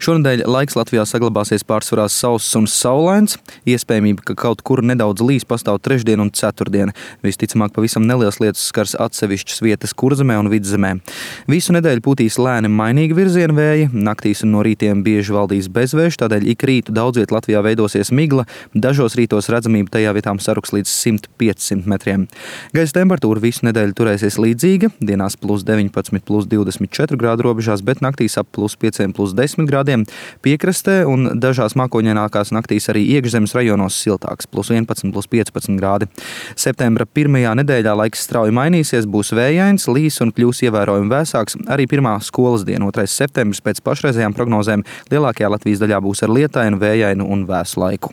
Šonedēļ laiks Latvijā saglabāsies pārsvarā sauss un saulains. Iespējamība, ka kaut kur nedaudz līs, pastāv trešdien un ceturtdien. Visticamāk, pavisam nelielas lietas skars atsevišķas vietas Kurzemē un Vidzemē. Visu nedēļu pūtīs lēni mainīgi virziena vēji, naktīs un no rītiem bieži valdīs bezvējš, tādēļ ik rītu daudz viet Latvijā veidosies migla, dažos rītos redzamība tajā vietām saruks līdz 100–500 metriem. Gaisa temperatūra visu nedēļu turēsies līdzīga, dienās +19–+24 grādu robežās, bet naktīs ap +5–+10 grādiem. Piekrastē un dažās mākoņainākās naktīs arī iekšzemes rajonos siltāks, +11–+15 grādi. Septembra pirmajā nedēļā laiks strauji mainīsies, būs vējains, līs un kļūs ievērojami vēsāks. Arī pirmā skolas diena, 2. septembris, pēc pašreizējām prognozēm lielākajā Latvijas daļā būs ar lietainu, vējainu un vēsu laiku.